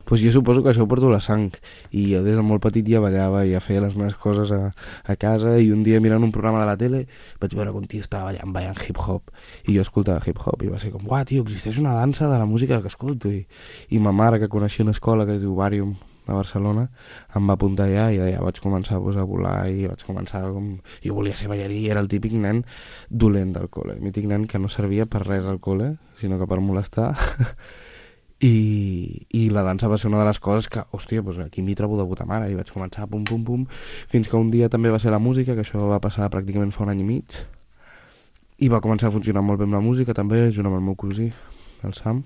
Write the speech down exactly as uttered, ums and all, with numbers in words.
pues jo suposo que això ho porto la sang, i jo des de molt petit ja ballava i ja feia les meves coses a, a casa, i un dia mirant un programa de la tele vaig veure que un tio estava ballant, ballant hip-hop, i jo escoltava hip-hop i va ser com, uah, tio, existeix una dansa de la música que escolto, i, i ma mare, que coneixia una escola que es diu Barium a Barcelona, em va apuntar allà i allà vaig començar pues, a volar i vaig començar com... Jo volia ser ballarí, era el típic nen dolent del col·le, el mític nen que no servia per res al col·le, sinó que per molestar. I, I la dansa va ser una de les coses que, hòstia, pues aquí m'hi trobo de puta mare, i vaig començar pum pum pum, fins que un dia també va ser la música, que això va passar pràcticament fa un any i mig, i va començar a funcionar molt bé amb la música també, junt amb el meu cosí, el Sam,